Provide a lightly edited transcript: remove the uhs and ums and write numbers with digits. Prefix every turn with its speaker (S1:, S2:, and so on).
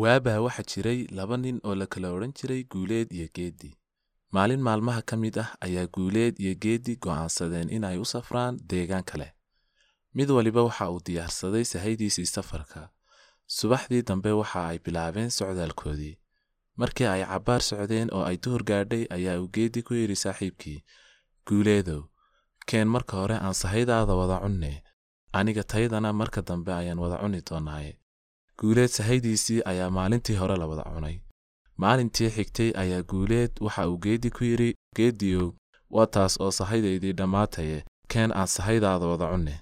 S1: Waabaa waxaa jiray laba nin oo la kala odhan jiray Guuleed iyo Geedi. Maalin maalmaha ka mid ah ayaa Guuleed iyo Geedi go'aansadeen in ay u safraan deegaan kale. Mid waliba waxa uu diyaarsaday sahaydiisii safarka. Subaxdii dambe waxa ay bilaabeen socdaalkoodii. Markii ay cabbaar socdeen oo ay duhur gaadhay ayaa uu Geedi ku yidhi saaxiibkii, "Guuleedow, keen marka hore aan sahaydaada wada cunne, aniga taydana marka dambe ayaan wada cuni doonaaye." Guuleed sahaydiisii ayaa maalintii hore la wada cunay. Maalintii xigtay ayaa Guuleed waxa uu Geedi ku yidhi, "Geediyow, waa taas oo sahaydaydii dhammaataye, keen aan sahaydaada wada cunne."